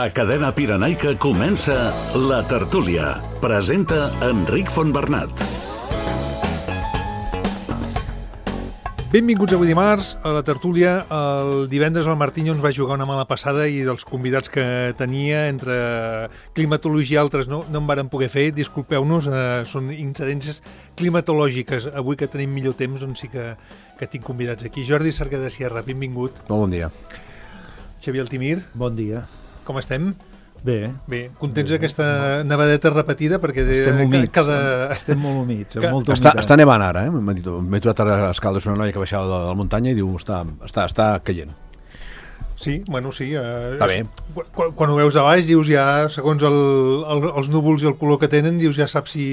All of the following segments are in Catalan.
A Cadena Pirenaica comença La Tertúlia. Presenta Enric Fontbernat. Benvinguts avui dimarts a La Tertúlia. El divendres el Martinho ens va jugar una mala passada i dels convidats que tenia, entre climatologia i altres, no en varen poder fer. Disculpeu-nos, són incidències climatològiques. Avui que tenim millor temps, doncs sí que tinc convidats aquí. Jordi Cerquer de Sierra, benvingut. Molt bon dia. Xavier Altimir. Bon dia. Com estem? Bé. Contents d'aquesta nevadeta repetida? Perquè estem humits, estem molt humits, amb molta humitat. Està nevant ara, m'he trobat a Escaldes una noia que baixava de la muntanya i diu, està caient. Sí, bueno, sí. Està bé. Quan ho veus de baix, dius ja, segons els núvols i el color que tenen, dius ja saps si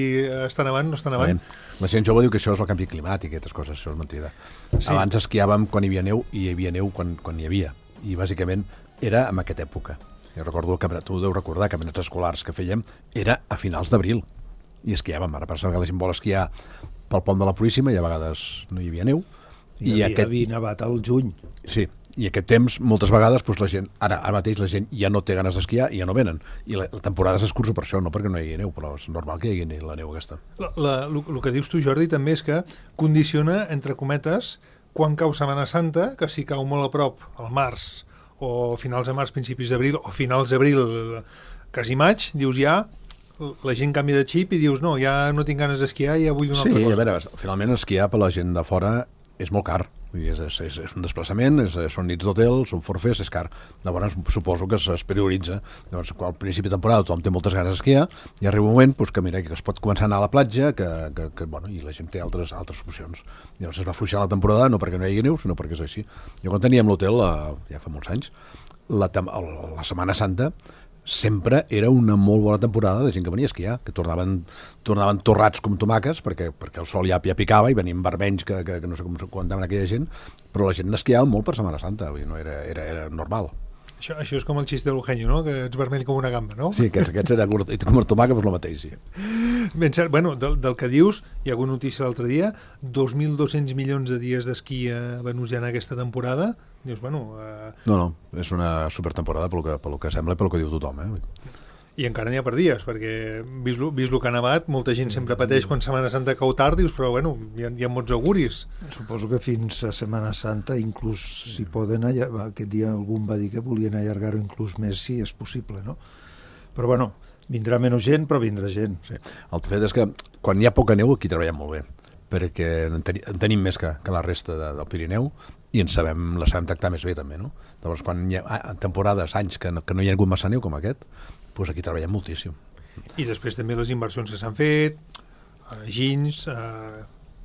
està nevant o no està nevant. La gent jove diu que això és el canvi climàtic, aquestes coses, això és mentida. Sí. Abans esquiàvem quan hi havia neu i hi havia neu quan hi havia. I bàsicament era en aquesta època. Jo recordo que tu deu recordar que caminats escolars que fèiem era a finals d'abril i esquiàvem. Ara passa que la gent vol esquiar pel pont de la Puríssima i a vegades no hi havia neu. I havia nevat al juny. Sí, i aquest temps moltes vegades la gent, ara mateix la gent ja no té ganes d'esquiar i ja no venen. I la temporada s'escurça per això, no perquè no hi hagi neu, però és normal que hi hagi la neu aquesta. El que dius tu, Jordi, també és que condiciona, entre cometes, quan cau Setmana Santa, que si cau molt a prop, al març, o finals de març, principis d'abril, o finals d'abril, quasi maig, dius ja, la gent canvia de xip i dius no, ja no tinc ganes d'esquiar, ja vull una altra cosa. Sí, a veure, finalment esquiar per la gent de fora és molt car. Vull dir, és un desplaçament, són nits d'hotel, són forfers, és car. Llavors suposo que es prioritza. Llavors, al principi de temporada tothom té moltes ganes d'esquiar i arriba un moment que mira que es pot començar a anar a la platja i la gent té altres opcions. Llavors es va afluixar la temporada no perquè no hi hagi neu, sinó perquè és així. Jo quan teníem l'hotel, ja fa molts anys, la Setmana Santa sempre era una molt bona temporada de gent que venia a esquiar, que tornaven torrats com tomaques perquè el sol ja picava i venien vermenys que no sé com aguantaven aquella gent, però la gent n'esquiava molt per Setmana Santa, vull dir, no era normal. Això és com el xiste de l'Eugenio, no? Que ets vermell com una gamba, no? Sí, aquests era com el tomàquet, però el mateix, sí. Ben cert, bueno, del que dius, hi ha hagut notícia l'altre dia, 2.200 milions de dies d'esquí venuts ja en aquesta temporada. Dius, bueno... No, és una supertemporada pel que sembla i pel que diu tothom, I encara n'hi ha per dies, perquè vist el que ha nevat, molta gent sempre pateix quan Setmana Santa cau tard, dius, però bueno, hi ha molts auguris. Suposo que fins a Setmana Santa, inclús si poden, aquest dia algun va dir que volien allargar-ho inclús més, si és possible, no? Però bueno, vindrà menys gent, però vindrà gent. Sí. El fet és que quan hi ha poca neu aquí treballem molt bé, perquè en tenim més que la resta del Pirineu i la sabem tractar més bé també, no? Llavors quan hi ha temporades, anys que no hi ha hagut massa neu com aquest, doncs aquí treballem moltíssim. I després també les inversions que s'han fet, ginys,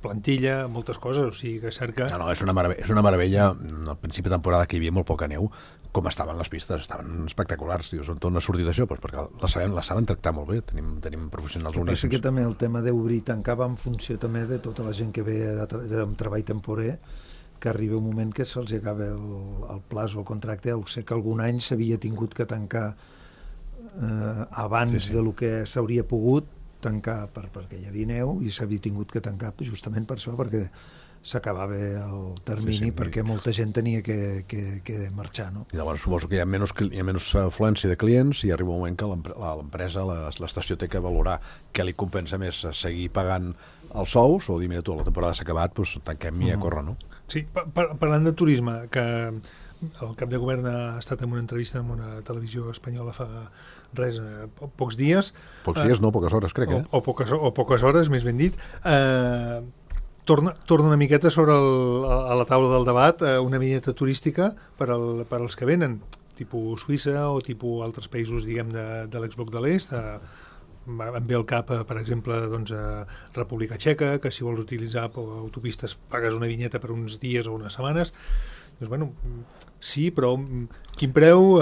plantilla, moltes coses, o sigui que cerca... No, és una meravella. Al principi de temporada que hi havia molt poca neu, com estaven les pistes, estaven espectaculars. On torna a sortir d'això? Perquè la saben tractar molt bé, tenim professionals boníssims. Penso que també el tema d'obrir i tancar va en funció també de tota la gent que ve de treball temporer, que arriba un moment que se'ls acaba el plaç o el contracte. Sé que algun any s'havia tingut que tancar abans de lo que s'hauria pogut tancar perquè hi havia neu i s'havia tingut que tancar justament per això, perquè s'acabava el termini perquè molta gent tenia que marxar, no? I llavors suposo que hi ha menys afluència de clients i arriba un moment que l'empresa, l'estació té que valorar què li compensa més seguir pagant els sous o dir, mira tu, la temporada s'ha acabat, doncs tanquem i a córrer, no? Sí, parlant de turisme, que el cap de govern ha estat en una entrevista en una televisió espanyola fa pocs dies. Pocs dies, no, poques hores, crec, o poques hores, més ben dit. Torna una miqueta a la taula del debat una vinyeta turística per als que venen, tipus Suïssa o tipus altres països, diguem, de l'exbloc de l'est. Em ve al cap, per exemple, República Txeca, que si vols utilitzar autopistes pagues una vinyeta per uns dies o unes setmanes. Doncs, bueno, sí, però quin preu,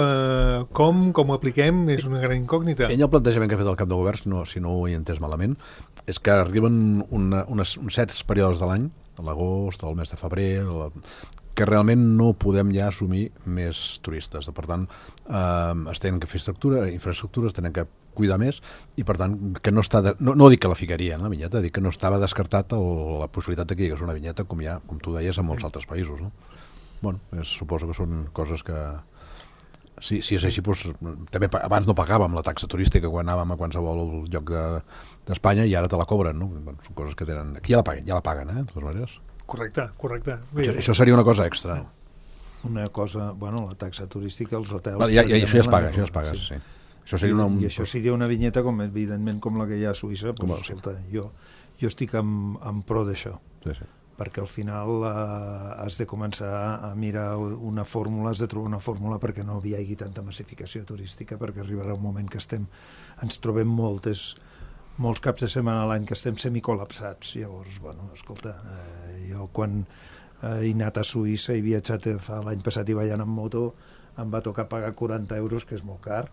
com ho apliquem, és una gran incògnita. Ell el plantejament que ha fet el cap de govern, si no ho he entès malament, és que arriben uns certs períodes de l'any, l'agost, el mes de febrer, que realment no podem ja assumir més turistes. Per tant, es tenen que fer infraestructures, tenen que cuidar més, i per tant, que no està... No dic que la ficaria en la vinyeta, dic que no estava descartat la possibilitat que hi hagués una vinyeta, com tu deies, en molts altres països, no? Bueno, suposo que són coses que si és així, doncs, també abans no pagàvem la taxa turística quan anàvem a qualsevol lloc d'Espanya i ara te la cobren, no? Són coses que tenen... Aquí ja la paguen, de totes maneres. Correcte. Això seria una cosa extra. Una cosa, bueno, la taxa turística, els hotels... Això ja es paga, sí. Això seria I això seria una vinyeta, evidentment, com la que hi ha a Suïssa. Escolta, jo estic en pro d'això. Sí. Perquè al final has de començar a mirar una fórmula, has de trobar una fórmula perquè no hi hagi tanta massificació turística, perquè arribarà un moment que ens trobem molts caps de setmana a l'any que estem semicol·lapsats. Llavors, bueno, escolta, jo quan he anat a Suïssa i he viatjat l'any passat i vaig anar amb moto, em va tocar pagar 40 euros, que és molt car,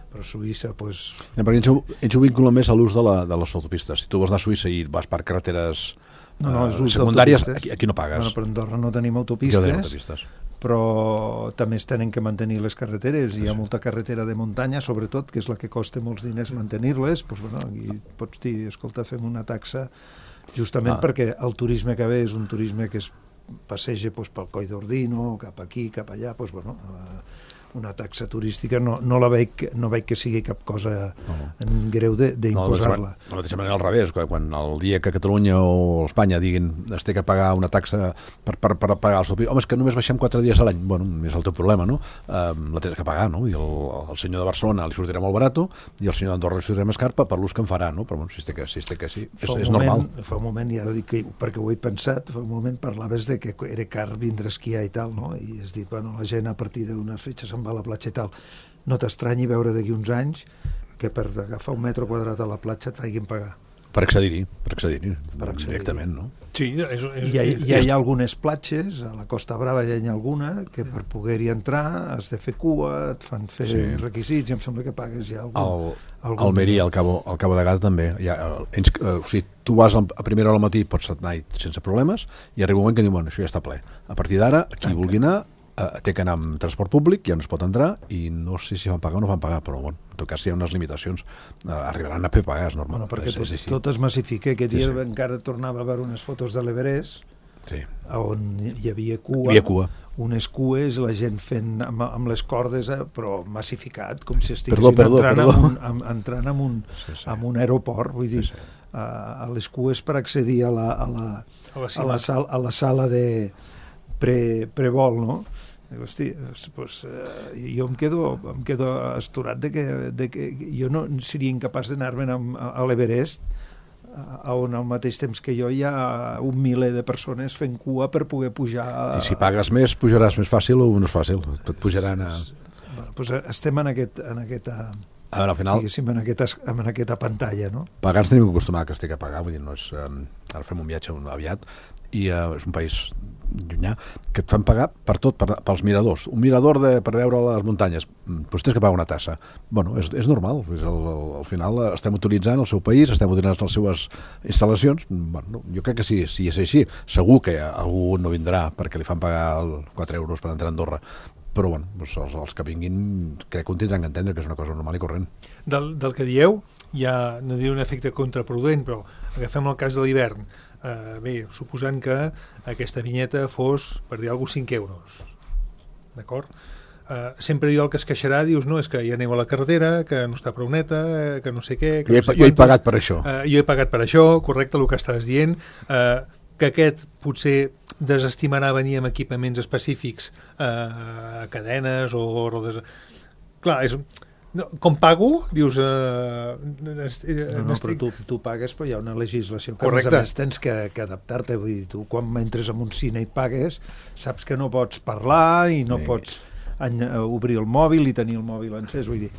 però a Suïssa, doncs... Perquè ells ho vinculen més a l'ús de les autopistes. Si tu vols anar a Suïssa i vas per carreteres secundàries, aquí no pagues. Però a Andorra no tenim autopistes, però també es tenen que mantenir les carreteres. Hi ha molta carretera de muntanya, sobretot, que és la que costa molts diners mantenir-les. Doncs, bueno, aquí pots dir, escolta, fem una taxa, justament perquè el turisme que ve és un turisme que es passeja pel Coll d'Ordino, cap aquí, cap allà, doncs, bueno... una taxa turística no veig que sigui cap cosa greu d'imposar-la. De la mateixa manera al revés, quan el dia que Catalunya o Espanya diguin es té que pagar una taxa per pagar els autopistes, home, és que només baixem 4 dies a l'any, bueno, és el teu problema, no? La tens que pagar, no? I el senyor de Barcelona li sortirà molt barat i el senyor d'Andorra li sortirà més car per l'ús que en farà, no? Però bueno, si es té que sí, és normal. Fa un moment, ja dic que, perquè ho he pensat, fa un moment parlaves de que era car vindre a esquiar i tal, no? I has dit, bueno, la gent a partir d'unes fetges va a la platja i tal. No t'estranyi veure d'aquí uns anys que per agafar un metre quadrat a la platja et facin pagar. Per accedir-hi directament, no? Sí, hi ha algunes platges, a la Costa Brava hi ha alguna, que per poder-hi entrar has de fer cua, et fan fer requisits, i em sembla que pagues ja algun... Almeria, al Cabo de Gata també. O sigui, tu vas a primera hora al matí, pots anar sense problemes, i arriba un moment que diu, bueno, això ja està ple. A partir d'ara, qui vulgui anar, té que anar amb transport públic, ja no es pot entrar, i no sé si van pagar o no van pagar, però bueno, en tot cas hi ha unes limitacions, arribaran a fer pagar, és normal. Bueno, perquè tot es massifica. Aquest dia encara tornava a veure unes fotos de l'Everest, on hi havia cua, unes cues, la gent fent amb les cordes, però massificat, com si estiguessin entrant en un aeroport, vull dir, a les cues per accedir a la sala de prevol, no? Hosti, jo em quedo astorat de que jo no seria incapaç d'anar-me'n a l'Everest, on al mateix temps que jo hi ha 1 miler de persones fent cua per poder pujar... I si pagues més, pujaràs més fàcil o no és fàcil? Et pujaran a... Estem en aquesta... Al final... en aquesta pantalla, no? Pagar ens tenim que acostumar que es té que pagar, vull dir, no és... Ara fem un viatge aviat i és un país llunyà que et fan pagar per tot, pels miradors. Un mirador per veure les muntanyes, doncs tens que pagar una tassa. Bueno, és normal, al final estem utilitzant el seu país, estem utilitzant les seues instal·lacions. Bueno, jo crec que si és així, segur que algú no vindrà perquè li fan pagar 4 euros per entrar a Andorra, però bueno, els que vinguin crec que ho tindran que entendre que és una cosa normal i corrent. Del que dieu, hi ha, no diré un efecte contraproduent, però agafem el cas de l'hivern. Bé, suposant que aquesta vinyeta fos, per dir alguna cosa, 5 euros. D'acord? Sempre hi ha el que es queixarà, dius, no, és que ja aneu a la carretera, que no està prou neta, que no sé què... Jo he pagat per això. Jo he pagat per això, correcte, el que estàs dient, que aquest potser desestimarà venir amb equipaments específics, cadenes o rodes... Clar, és... No, com pago, dius... però tu pagues, però hi ha una legislació que a més tens que adaptar-te. Vull dir, tu quan entres en un cine i pagues, saps que no pots parlar i no pots obrir el mòbil i tenir el mòbil encès. Vull dir,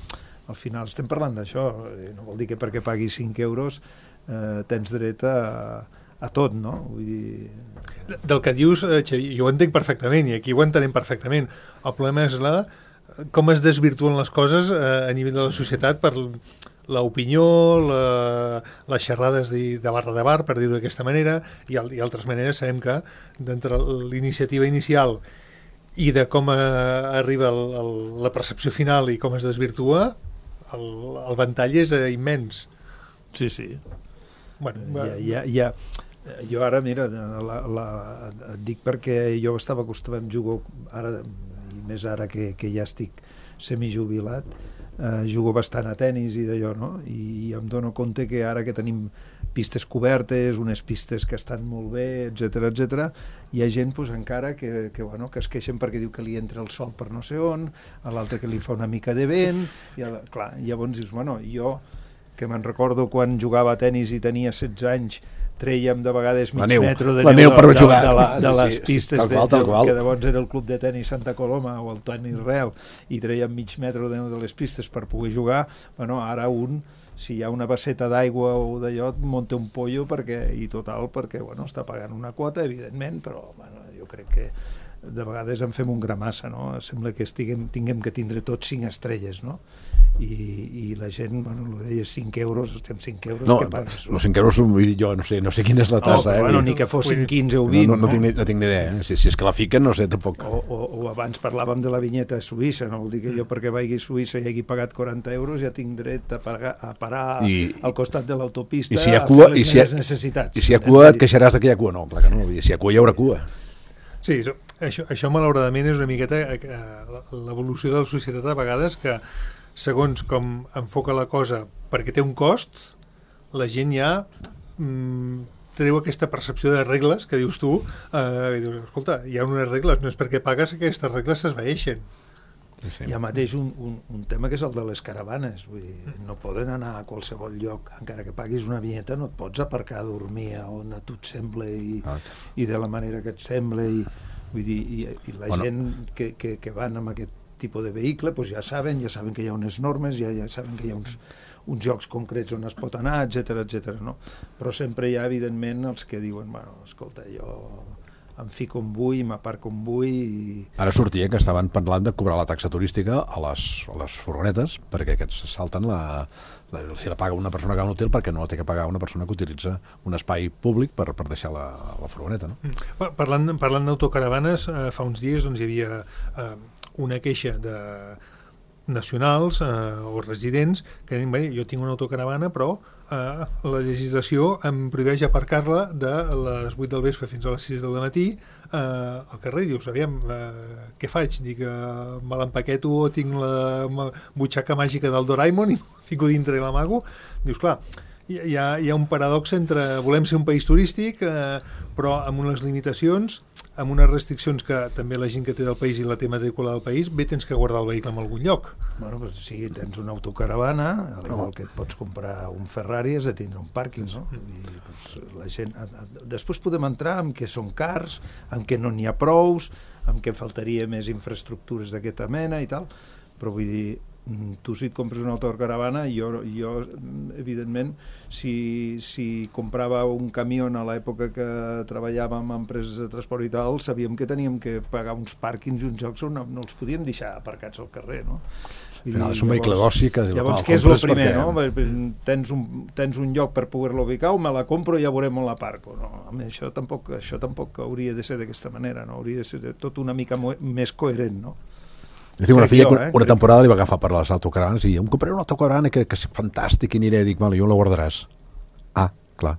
al final estem parlant d'això. No vol dir que perquè paguis 5 euros tens dret a tot, no? Vull dir... Del que dius, Xavier, jo ho entenc perfectament i aquí ho entenem perfectament. El problema és com es desvirtuen les coses a nivell de la societat per l'opinió, les xerrades de bar, per dir-ho d'aquesta manera, i altres maneres. Sabem que d'entre l'iniciativa inicial i de com arriba la percepció final i com es desvirtua, el ventall és immens. Sí. Bueno, jo ara, mira, et dic perquè jo estava acostumat a jugar ara, i més ara que ja estic semijubilat, jugo bastant a tennis i d'allò, no? I em dono compte que ara que tenim pistes cobertes, unes pistes que estan molt bé, etc, hi ha gent pues, encara que es queixen perquè diu que li entra el sol per no sé on, a l'altre que li fa una mica de vent, i clar, llavors dius, bueno, jo que me'n recordo quan jugava a tennis i tenia 16 anys, trèiem de vegades mig metre de neu de les pistes que llavors era el club de tenis Santa Coloma o el tenis Real, i trèiem mig metre de neu de les pistes per poder jugar. Bueno, ara si hi ha una basseta d'aigua o d'allò, munta un pollo perquè està pagant una quota, evidentment, però bueno, jo crec que de vegades en fem un gramassa, no? Sembla que tinguem que tindre tots 5 estrelles, no? I la gent, bueno, ho deia, 5 euros, estem 5 euros, no, què pagues? No, 5 euros, jo no sé quina és la tassa. Bueno, ni que fossin 15 o 20. No tinc ni idea, si és que la fiquen, no sé, tampoc. O abans parlàvem de la vinyeta suïssa, no? Vol dir que jo perquè vagi a Suïssa i hagi pagat 40 euros ja tinc dret a parar al costat de l'autopista a fer les meves necessitats. I si hi ha cua et queixaràs que hi ha cua? No, clar que no, si hi ha cua hi haurà cua. Sí, això malauradament és una miqueta l'evolució de la societat a vegades, que segons com enfoca la cosa perquè té un cost, la gent ja treu aquesta percepció de regles que dius tu, i dius, escolta, hi ha unes regles, no és perquè pagues que aquestes regles s'esvaeixen. Hi ha mateix un tema que és el de les caravanes, vull dir, no poden anar a qualsevol lloc, encara que paguis una vinyeta no et pots aparcar a dormir on a tu et sembla i de la manera que et sembla, i la gent que van amb aquest tipus de vehicle pues ja saben que hi ha unes normes, ja saben que hi ha uns llocs concrets on es pot anar, etc, no? Però sempre hi ha, evidentment, els que diuen, bueno, escolta, jo em fico on vull, m'aparco on vull... Ara sortia que estaven parlant de cobrar la taxa turística a les furgonetes, perquè aquests salten si la paga una persona que va a un hotel, perquè no la té que pagar una persona que utilitza un espai públic per deixar la furgoneta, no? Parlant d'autocaravanes, fa uns dies hi havia una queixa de nacionals o residents que diuen, bé, jo tinc una autocaravana però la legislació em prohibeix aparcar-la de les 8 del vespre fins a les 6 del matí al carrer. Dius, aviam, què faig? Dic, me l'empaqueto o tinc la butxaca màgica del Doraemon i m'ho fico dintre i l'amago? Dius, clar, hi ha un paradox entre volem ser un país turístic però amb unes limitacions, amb unes restriccions que també la gent que té del país i la té matrícula del país, bé tens que guardar el vehicle en algun lloc. Bueno, doncs si tens una autocaravana, al igual que et pots comprar un Ferrari, has de tindre un pàrquing, no? I, doncs, la gent... Després podem entrar en què són cars, en què no n'hi ha prous, en què faltaria més infraestructures d'aquesta mena i tal, però vull dir, tu si et compres una autocaravana, jo evidentment, si comprava un camió a l'època que treballàvem en empreses de transport i tal, sabíem que teníem que pagar uns pàrquings i uns jocs on no els podíem deixar aparcats al carrer, no? És un vehicle d'oci que... Llavors, què és el primer, no? Tens un lloc per poder-lo ubicar, o me la compro i ja veurem on la parco. No, això tampoc hauria de ser d'aquesta manera, no? Hauria de ser tot una mica més coherent, no? Jo tinc una filla que una temporada li va agafar per les autocaravanes i em compraré una autocaravana que és fantàstic i aniré, dic, vale, jo la guardaràs. Ah, clar.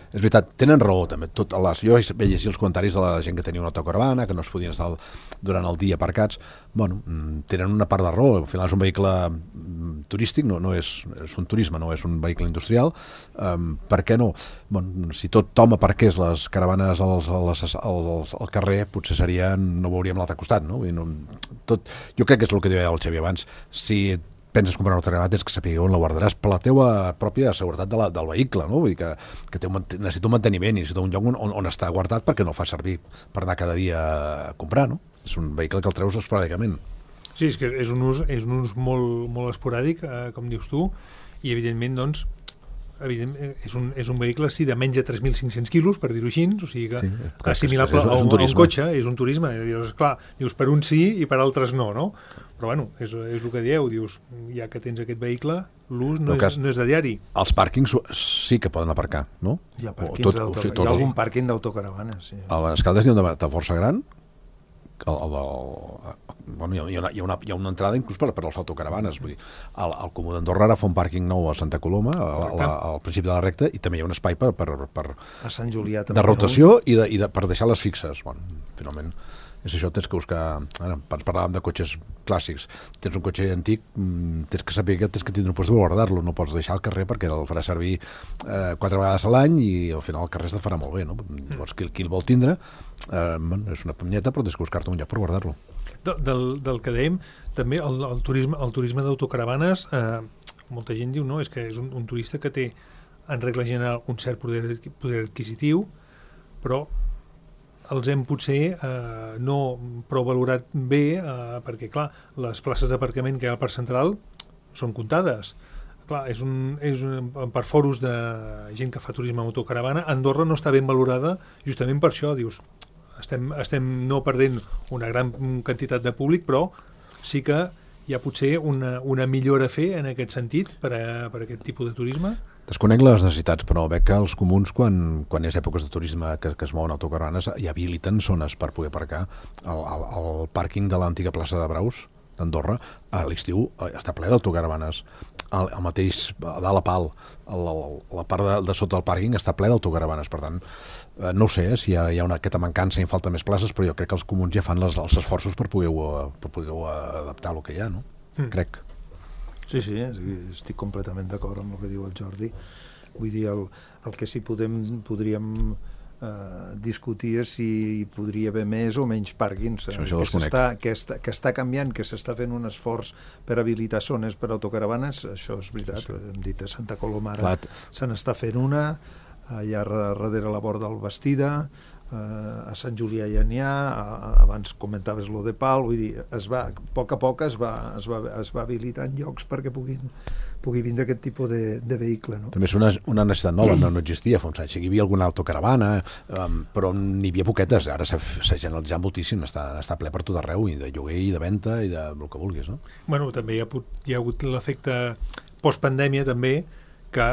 És veritat, tenen raó també. Jo veia així els comentaris de la gent que tenia una autocaravana, que no es podien estar durant el dia aparcats. Bueno, tenen una part de raó. Al final és un vehicle turístic, no és un turisme, no és un vehicle industrial. Per què no? Bueno, si tothom aparqués les caravanes al carrer, potser no veuríem l'altre costat, no? Jo crec que és el que deia el Xavi abans. Si penses comprar una autocaravana, tens que saber on la guardaràs per la teva pròpia seguretat del vehicle, no? Vull dir que necessita un manteniment i necessita un lloc on està guardat perquè no fa servir per anar cada dia a comprar, no? És un vehicle que el treus esporàdicament. Sí, és que és un ús molt esporàdic, com dius tu, i evidentment, doncs, és un vehicle de menys de 3.500 quilos, per dir-ho així, o sigui que assimilable a un cotxe, és un turisme. Dius, per uns sí i per altres no? Però bueno, és el que dieu, dius, ja que tens aquest vehicle, l'ús no és de diari. Els pàrquings sí que poden aparcar, no? Hi ha algun pàrquing d'autocaravanes. A les Caldes n'hi ha un de força gran, hi ha una entrada inclús per les autocaravanes. Vull dir, el Comú d'Andorra ara fa un pàrquing nou a Santa Coloma, al principi de la recta, i també hi ha un espai a Sant Julià de rotació i per deixar les fixes. Bueno, finalment és això, tens que buscar, parlàvem de cotxes clàssics, tens un cotxe antic, tens que saber que tens que tindre un lloc de guardar-lo, no pots deixar al carrer perquè el farà servir 4 vegades a l'any i al final el carrer se't farà molt bé, no? Llavors qui el vol tindre és una punyeta, però tens que buscar-te un lloc per guardar-lo. Del que dèiem, també el turisme d'autocaravanes, molta gent diu, no, és que és un turista que té en regla general un cert poder adquisitiu, però els hem potser no prou valorat bé perquè, clar, les places d'aparcament que hi ha al Parc Central són comptades. Clar, per foros de gent que fa turisme amb autocaravana, Andorra no està ben valorada justament per això, dius, estem no perdent una gran quantitat de públic, però sí que hi ha potser una millora a fer en aquest sentit per aquest tipus de turisme. Desconec les necessitats, però veig que els comuns, quan és èpoques de turisme que es mouen autocaravanes, hi habiliten zones per poder aparcar. El pàrquing de l'antiga plaça de Braus, d'Andorra, a l'estiu està ple d'autocaravanes. El mateix, a dalt a Pal, la part de sota del pàrquing està ple d'autocaravanes. Per tant, no ho sé si hi ha aquesta mancança i falta més places, però jo crec que els comuns ja fan els esforços per poder adaptar el que hi ha, no? Crec. Sí, estic completament d'acord amb el que diu el Jordi. Vull dir, el que sí podríem discutir és si hi podria haver més o menys pàrquings, que està canviant, que s'està fent un esforç per habilitar zones per autocaravanes, això és veritat. Hem dit a Santa Coloma ara se n'està fent una, allà darrere la Borda del Bastida, a Sant Julià ja n'hi ha, abans comentaves lo de Pal, vull dir, a poc a poc es va habilitant llocs perquè pugui vindre aquest tipus de vehicle, no? També és una necessitat nova, no existia fa uns anys. Hi havia alguna autocaravana, però n'hi havia poquetes, ara s'ha generalitzat moltíssim, està ple per tot arreu, i de lloguer i de venda i de el que vulguis, no? Bueno, també hi ha hagut l'efecte postpandèmia també, que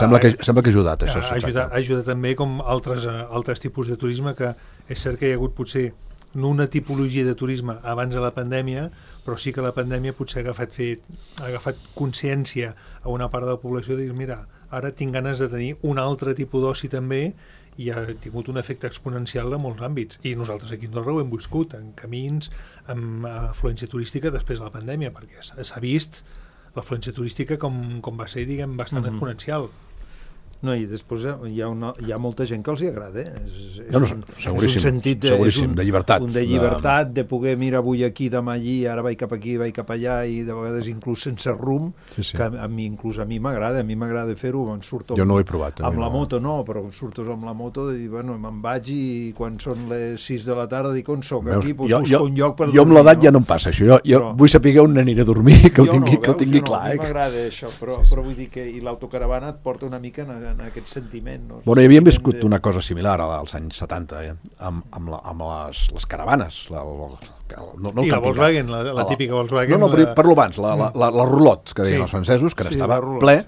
sembla que ha ajudat això, ha ajudat també com altres tipus de turisme, que és cert que hi ha hagut potser no una tipologia de turisme abans de la pandèmia, però sí que la pandèmia potser ha agafat consciència a una part de la població de dir, mira, ara tinc ganes de tenir un altre tipus d'oci també, i ha tingut un efecte exponencial en molts àmbits, i nosaltres aquí a Andorra ho hem viscut en camins, amb afluència turística després de la pandèmia, perquè s'ha vist l'afluència turística com va ser, diguem, bastant exponencial. No, i després hi ha molta gent que els hi agrada. És un sentit de llibertat. De llibertat, de poder, mira, avui aquí, demà allí, ara vaig cap aquí, vaig cap allà, i de vegades inclús sense rumb, que a mi m'agrada fer-ho, surto jo no ho he provat, amb la moto, no, però surto amb la moto i bueno, me'n vaig i quan són les 6 de la tarda dic, on soc? Aquí, busco un lloc per dormir. Jo amb l'edat ja no em passa això, jo vull saber on aniré a dormir, que ho tingui clar. A mi m'agrada això, però vull dir que la porta una mica en aquest sentiment. No? Bueno, hi havíem viscut una cosa similar als anys 70, amb les caravanes. I la Volkswagen, la típica Volkswagen. No, però parlo abans, la Rulot, que deien els francesos, que estava ple,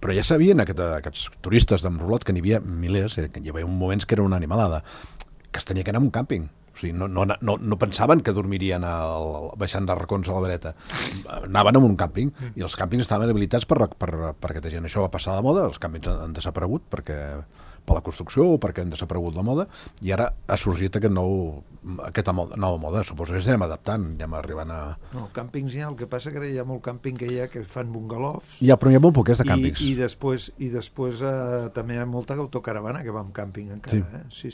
però ja sabien aquests turistes d'en Rulot, que n'hi havia milers, que hi havia moments que era una animalada, que es tenia que anar a un càmping. O sigui, no pensaven que dormirien baixant de racons a la dreta. Anaven a un càmping i els càmpings estaven habilitats per aquesta gent. Això va passar de moda, els càmpings han desaparegut per la construcció o perquè han desaparegut la moda, i ara ha sorgit aquesta nova moda. Suposo que ens anem adaptant, anem arribant a... No, càmpings hi ha, el que passa que hi ha molt càmping que fan bungalofs. Però hi ha molt poquets de càmpings. I després també hi ha molta autocaravana que va amb càmping encara. Sí.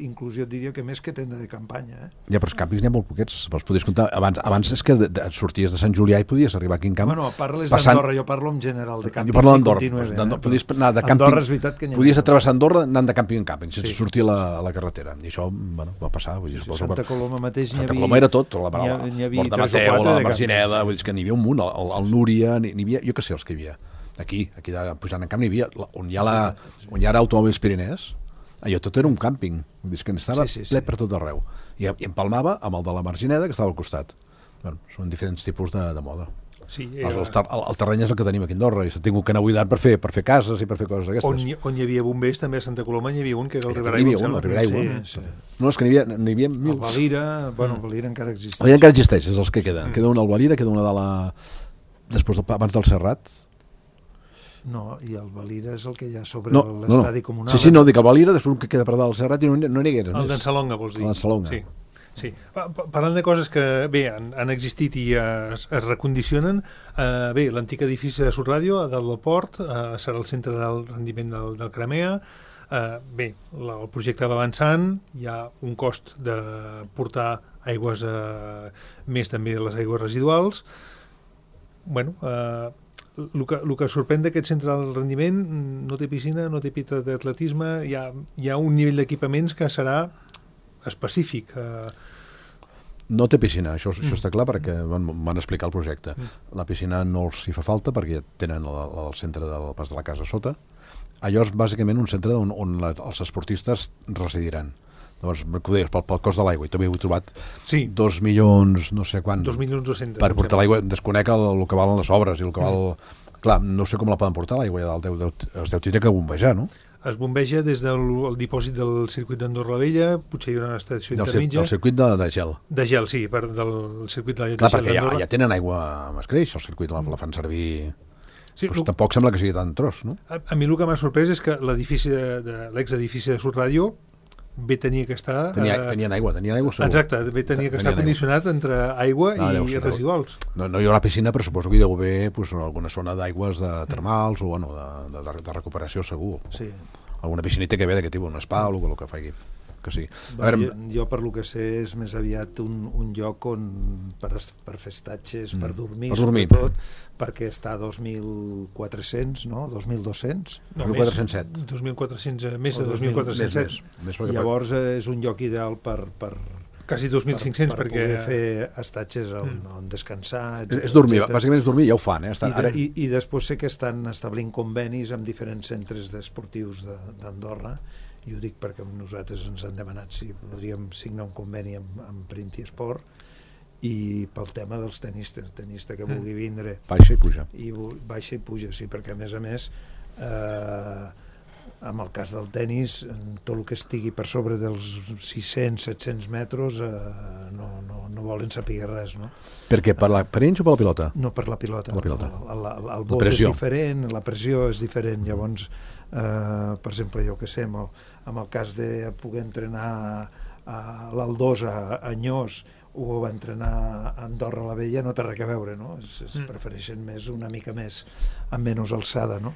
Inclús jo diria que més que tenda de campanya. Ja, però els càmpings n'hi ha molt poquets. Els podies comptar. Abans és que sorties de Sant Julià i podies arribar aquí en camp. Bueno, parles d'Andorra, jo parlo en general de càmping. Jo parlo d'Andorra. Podies anar de càmping. Andorra és veritat que n'hi ha. Podies atravessar Andorra anant de càmping en càmping, sense sortir a la carretera. I això va passar. Santa Coloma mateix Santa Coloma era tot, la Porta Mateu, la Margineda, vull dir que n'hi havia un munt, el Núria, n'hi havia, jo què sé els que hi havia. Aquí pujant en camp n'hi havia, on hi ha automòbils Pirinès, allò tot era un càmping, vull dir que n'estava ple per tot arreu. I empalmava amb el de la Margineda, que estava al costat. Són diferents tipus de moda. Sí, el terreny és el que tenim aquí a Andorra i s'ha tingut que anar buidant per fer cases i per fer coses d'aquestes. On hi havia bombers, també a Santa Coloma n'hi havia un, que era el Ribera Aigua. No, és que n'hi havia mil. El Valira, el Valira encara existeix. El Valira encara existeix, és els que queden. Queda un al Valira, queda una de la... abans del Serrat. No, i el Valira és el que hi ha sobre l'estadi comunal. Sí, no, dic el Valira, després un que queda per dalt del Serrat i no n'hi hagués. El d'en Salonga, vols dir? El d'en Salonga. Sí. Parlant de coses que, bé, han existit i es recondicionen, bé, l'antic edifici de Sudradio, a dalt del port, serà el centre del rendiment del Cramea. Bé, el projecte va avançant, hi ha un cost de portar aigües, més també de les aigües residuals. Bueno, el que sorprèn d'aquest centre del rendiment, no té piscina, no té pista d'atletisme, hi ha un nivell d'equipaments que serà específic. No té piscina, això està clar perquè van explicar el projecte. La piscina no els hi fa falta perquè tenen el centre del pas de la casa sota. Allò és bàsicament un centre on els esportistes residiran. Llavors, que ho deies, pel cost de l'aigua, i també ho he trobat 2 milions, no sé quant, 2.200.000 per portar l'aigua, desconec el que valen les obres i el que val... Clar, no sé com la poden portar l'aigua, es deu tindre que bombejar, no? Es bombeja des del dipòsit del circuit d'Andorra la Vella, potser hi haurà una estació intermitja. Del circuit de gel. De gel, sí, del circuit de gel. Clar, perquè ja tenen aigua amb escreix, el circuit la fan servir... Sí, doncs tampoc sembla que sigui tan tros, no? A mi el que m'ha sorprès és que l'edifici l'exedifici de Sudradio tenia que estar... Tenien aigua segur. Exacte, tenia que estar condicionat entre aigua i residuals. No hi haurà piscina, però suposo que hi deu haver alguna zona d'aigües termals o de recuperació segur. Sí. Alguna piscinita que ve d'aquest tipus, un spa o el que faci. Que sí. Jo per lo que sé és més aviat un lloc on per fer estatges, per dormir, sobretot, perquè està a 2.400, no? 2.200? No, 2.407. 2.400, més de 2.407. Llavors és un lloc ideal per quasi 2.500 per poder fer estatges on descansar, és dormir, bàsicament és dormir, ja ho fan, I després sé que estan establint convenis amb diferents centres esportius d'Andorra, i ho dic perquè nosaltres ens han demanat si podríem signar un conveni amb Printi Esport, i pel tema dels tenista que vulgui vindre baixa i puja, sí, perquè a més amb el cas del tenis, tot el que estigui per sobre dels 600-700 metres no volen saber res, no? Per què? Per ells o per la pilota? No, per la pilota. El vot és diferent, la pressió és diferent, llavors per exemple, jo que sé, amb el cas de poder entrenar a l'Aldosa, a Anyós, o va entrenar a Andorra la Vella, no té res a veure, no? Es prefereixen una mica més amb menys alçada, no?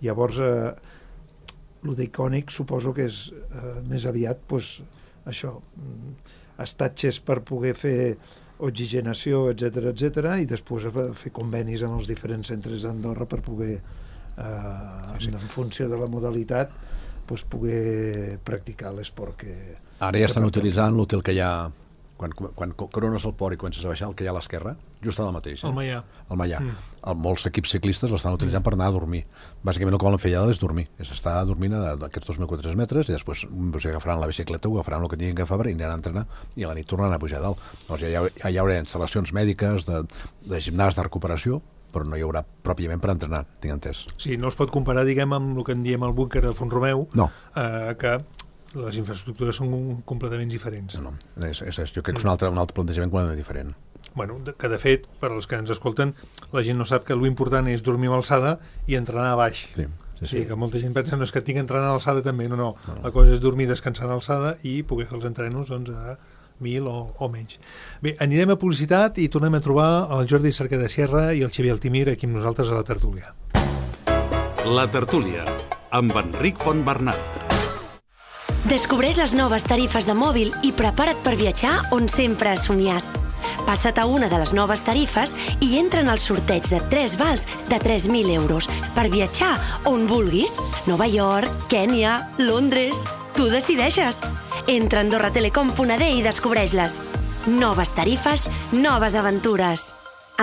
Llavors el d'icònic suposo que és més aviat això, estatges per poder fer oxigenació, etc, i després fer convenis amb els diferents centres d'Andorra per poder en funció de la modalitat poder practicar l'esport que... Ara ja estan utilitzant l'hotel que hi ha quan corones el port i comences a baixar, el que hi ha a l'esquerra, just al mateix. El Maià. Molts equips ciclistes l'estan utilitzant per anar a dormir. Bàsicament el que volen fer allà és dormir. És estar dormint d'aquests 2.400 metres i després agafaran la bicicleta o agafaran el que tinguin que agafar i aniran a entrenar i a la nit tornaran a pujar a dalt. Llavors ja hi haurà instal·lacions mèdiques, de gimnàs, de recuperació, però no hi haurà pròpiament per entrenar, tinc entès. Sí, no es pot comparar, diguem, amb el que en diem el búnquer de Font-romeu, que les infraestructures són completament diferents. No, jo crec que és un altre plantejament completament diferent. Bueno, que de fet, per als que ens escolten, la gent no sap que l'important és dormir a alçada i entrenar a baix. Sí, que molta gent pensa no és que tinc que entrenar a alçada també, no. La cosa és dormir descansant a alçada i poder fer els entrenos a 1.000 o menys. Bé, anirem a publicitat i tornem a trobar el Jordi Cerquer de Sierra i el Xavier Altimir aquí amb nosaltres a la tertúlia. La tertúlia, amb Enric Fontbernat. Descobreix les noves tarifes de mòbil i prepara't per viatjar on sempre has somiat. Passa't a una de les noves tarifes i entra en el sorteig de 3 vals de 3.000 euros per viatjar on vulguis. Nova York, Kènia, Londres... Tu decideixes. Entra a AndorraTelecom.d i descobreix-les. Noves tarifes, noves aventures.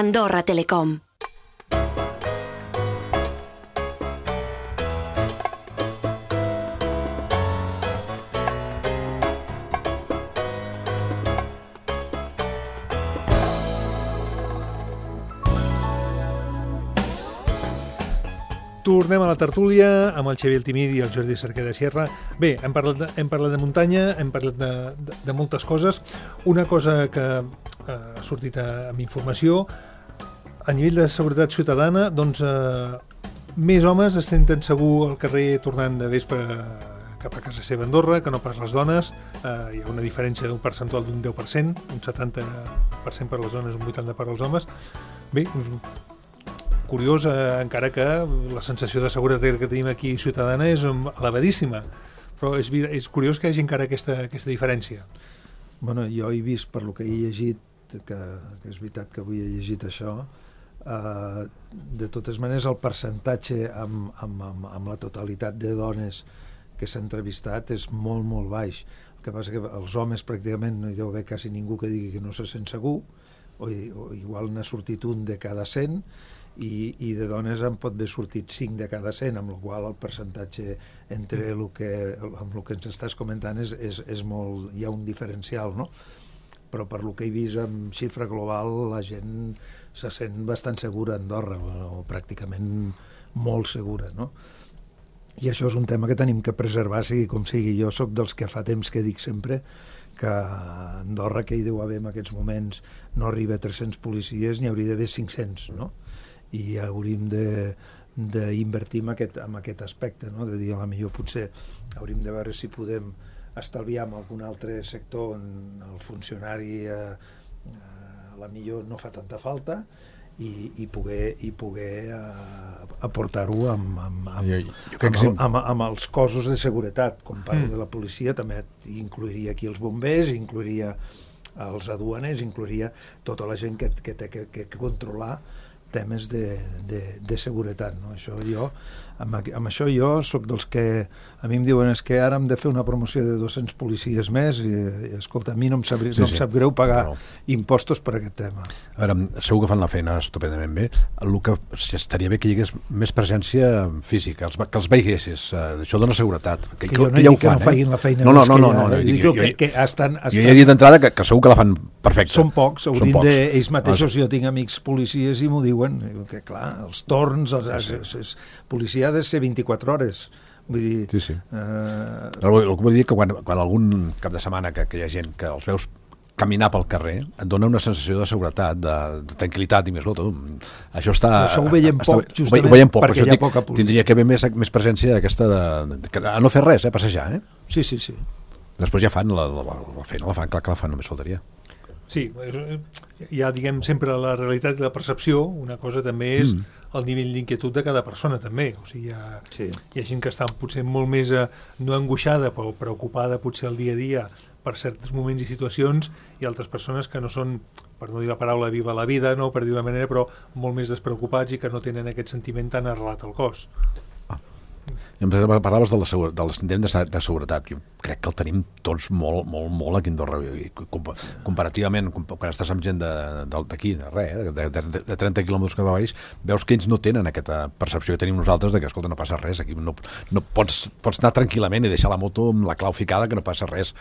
Andorra Telecom. Tornem a la tertúlia amb el Xavier Altimir i el Jordi Cerquer de Sierra. Bé, hem parlat de muntanya, hem parlat de moltes coses. Una cosa que ha sortit amb informació, a nivell de seguretat ciutadana, doncs més homes es senten segur al carrer tornant de vespre cap a casa seva a Andorra que no pas les dones. Hi ha una diferència d'un percentual d'un 10%, un 70% per les dones, un 80% per als homes. Bé, curiós, encara que la sensació de seguretat que tenim aquí ciutadana és elevadíssima, però és curiós que hi hagi encara aquesta diferència. Bueno, jo he vist, per lo que he llegit, que és veritat que avui he llegit això, de totes maneres el percentatge amb la totalitat de dones que s'ha entrevistat és molt, molt baix. El que passa que els homes pràcticament no hi deu haver quasi ningú que digui que no se sent segur, o igual n'ha sortit un de cada 100, i de dones en pot haver sortit 5 de cada 100, amb la qual el percentatge entre el que ens estàs comentant és molt, hi ha un diferencial, no? Però per lo que he vist en xifra global la gent se sent bastant segura a Andorra, o pràcticament molt segura, no? I això és un tema que tenim que preservar, sigui com sigui. Jo sóc dels que fa temps que dic sempre que a Andorra, que hi deu haver en aquests moments, no arriba a 300 policies, n'hi hauria d'haver 500, no? I hauríem d'invertir en aquest aspecte, no? De dir, a la millor potser hauríem de veure si podem estalviar en algun altre sector on el funcionari a la millor no fa tanta falta i poder aportar-ho amb els cossos de seguretat. Com parlo de la policia, també incluiria aquí els bombers, incluiria els aduaners, incluiria tota la gent que té que controlar temes de seguretat, no? Amb això jo soc dels que a mi em diuen és que ara hem de fer una promoció de 200 policies més i escolta, a mi no em sap greu pagar impostos per aquest tema. A veure, segur que fan la feina estupendament bé. El que estaria bé que hi hagués més presència física, que els veiessis, això dona seguretat. Que jo no dic que no facin la feina no, que estan... Jo ja he dit d'entrada que segur que la fan perfecta. Són pocs, ells mateixos, jo tinc amics policies i m'ho diuen, que clar, els torns, policia ha de ser 24 hores. Vull dir... Sí. El que vull dir és que quan algun cap de setmana que hi ha gent que els veus caminar pel carrer, et dona una sensació de seguretat, de tranquil·litat i més tot. Això està... Això ho veiem poc, justament, perquè hi ha poca policia. Tindria que haver més presència d'aquesta a no fer res, passejar, Sí. Després ja fan la feina, clar que la fan, només faltaria. Sí, hi ha, diguem, sempre la realitat i la percepció. Una cosa també és el nivell d'inquietud de cada persona, també. O sigui, hi ha gent que està potser molt més no angoixada, però preocupada potser el dia a dia per certs moments i situacions, i altres persones que no són, per no dir la paraula viva la vida, no, per dir una manera, però molt més despreocupats i que no tenen aquest sentiment tan arrelat al cos. I em parlaves de l'intent de seguretat. Jo crec que el tenim tots molt aquí a Andorra. Comparativament, quan estàs amb gent d'aquí, de 30 quilòmetres que va baix, veus que ells no tenen aquesta percepció que tenim nosaltres de que, escolta, no passa res, aquí no pots anar tranquil·lament i deixar la moto amb la clau ficada, que no passa res,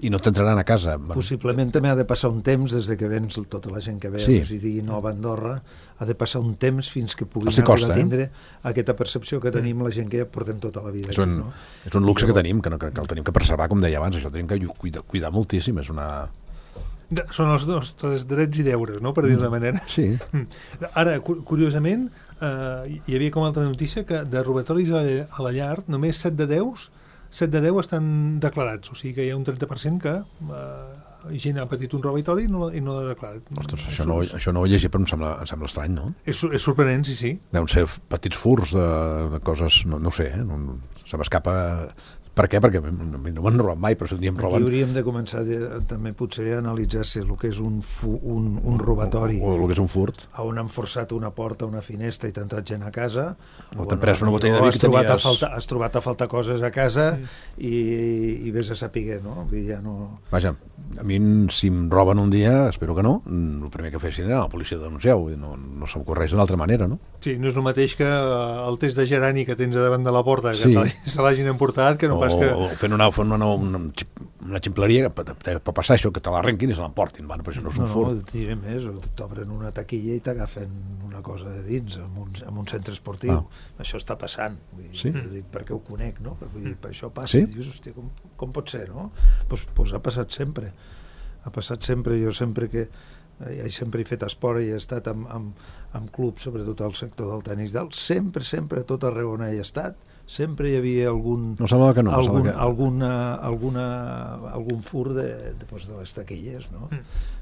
i no t'entraran a casa. Possiblement també ha de passar un temps des de que vens tota la gent que veus i digui Nova Andorra, ha de passar un temps fins que puguin arribar a tindre aquesta percepció que tenim la gent que ja portem tota la vida aquí, no? És un luxe que tenim, que el tenim que preservar, com deia abans, això el tenim que cuidar moltíssim, és una... Són els nostres drets i deures, no?, per dir d'una manera. Sí. Ara, curiosament, hi havia com altra notícia que de robatoris a la llar, només 7 de 10 estan declarats, o sigui que hi ha un 30% que gent ha patit un robatori i no l'ha declarat. Ostres, això no ho he llegit, però em sembla estrany, no? És sorprenent, sí. Deuen ser petits furs de coses, no ho sé, se m'escapa... Per què? Perquè no m'han robat mai, però si un dia em roben... Aquí hauríem de començar també potser a analitzar si el que és un robatori... O el que és un furt. On han forçat una porta, una finestra i t'ha entrat gent a casa... O t'han pres una botella de vi que has trobat a faltar coses a casa i vés a saber, no? Ja no... Vaja, a mi si em roben un dia, espero que no, el primer que fessin era la policia denunciar-ho, no se m'ocorreix d'una altra manera, no? Sí, no és el mateix que el test de gerani que tens davant de la porta, que se l'hagin emportat, que no pas que... O fent una ximpleria per passar això, que te l'arrenquin i se l'emportin. Bueno, però això no és un furt. No, et diré més, o t'obren una taquilla i t'agafen una cosa de dins en un centre esportiu. Això està passant. Perquè ho conec, no? Per això passa. I dius, hòstia, com pot ser, no? Doncs ha passat sempre. Ha passat sempre. Jo sempre he fet esport i he estat en clubs, sobretot al sector del tenis, sempre, a tot arreu on he estat, sempre hi havia algun fur de les taquilles, no?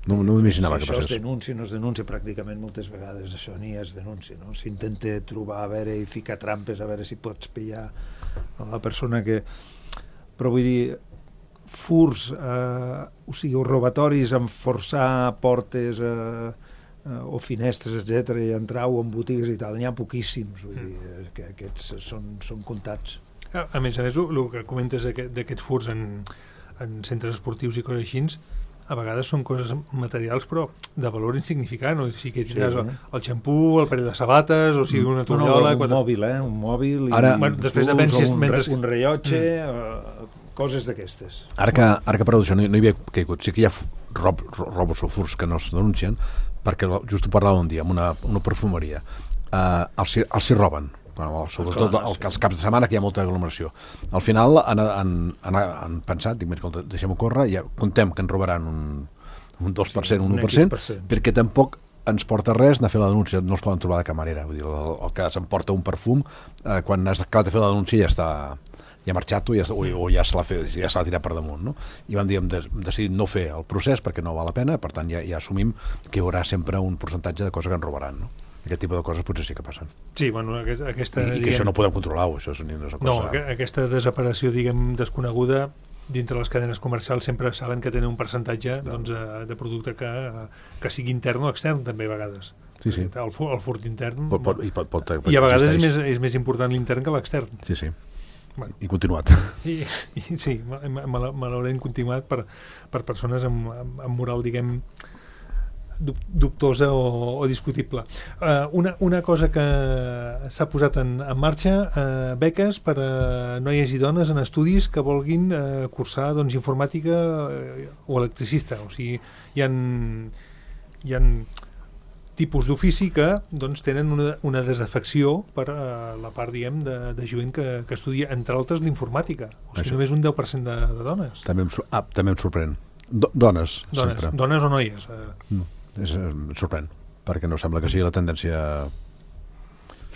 No m'imaginava que passés. passés. Això es denuncia, no es denuncia, pràcticament moltes vegades això ni es denuncia, no? S'intenta trobar, a veure, i ficar trampes, a veure si pots pillar a la persona que... Però vull dir, furs, o sigui, robatoris amb forçar portes o finestres, etc i entrar-ho en botigues i tal, n'hi ha poquíssims, vull dir, que aquests són comptats. A més, el que comentes d'aquests furs en centres esportius i coses així, a vegades són coses materials però de valor insignificant, o sigui que tindràs el xampú, el parell de sabates, o sigui una tovallola... Un mòbil, després depèn si un rellotge, coses d'aquestes. Ara que parlo d'això no hi havia caigut, sí que hi ha robos o furs que no es denuncien, perquè just ho parlàvem un dia amb una perfumeria, els hi roben, sobretot els caps de setmana que hi ha molta aglomeració. Al final han pensat, dic, deixem-ho córrer, ja contem que en robaran un 2%, un 1%, perquè tampoc ens porta res anar a fer la denúncia, no els poden trobar de camarera, vull dir, el que s'emporta un perfum, quan has acabat de fer la denúncia ja ha marxat o ja se l'ha tirat per damunt, no? I vam dir, hem decidit no fer el procés perquè no val la pena, per tant ja assumim que hi haurà sempre un percentatge de coses que ens robaran, no? Aquest tipus de coses potser sí que passen. Sí, bueno, aquesta... I que això no podem controlar-ho, això és una cosa... No, aquesta desaparició, diguem, desconeguda, dintre les cadenes comercials sempre saben que tenen un percentatge de producte que sigui intern o extern, també a vegades. Sí. El furt intern... I a vegades és més important l'intern que l'extern. Sí. Bueno. I continuat. Sí, malauradament continuat per persones amb moral, diguem, dubtosa o discutible. Una cosa que s'ha posat en marxa, beques per a noies i dones en estudis que vulguin cursar informàtica o electricista. O sigui, hi ha tipus d'ofici que tenen una desafecció per la part, diguem, de jovent que estudia, entre altres, l'informàtica. O sigui, només un 10% de dones. També em sorprèn. Dones, sempre. Dones o noies? No, em sorprèn, perquè no sembla que sigui la tendència...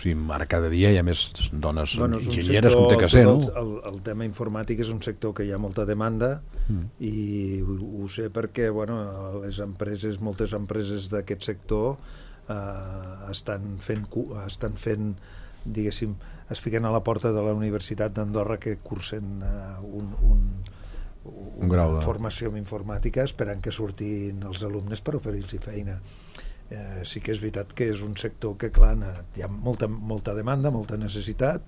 O sigui, ara cada dia hi ha més dones enginyeres com té que ser, no? El tema informàtic és un sector que hi ha molta demanda i ho sé perquè moltes empreses d'aquest sector estan fent, diguéssim, es fiquen a la porta de la Universitat d'Andorra que cursen una formació en informàtica esperant que surtin els alumnes per oferir-los feina. Sí que és veritat que és un sector que, clar, hi ha molta demanda, molta necessitat,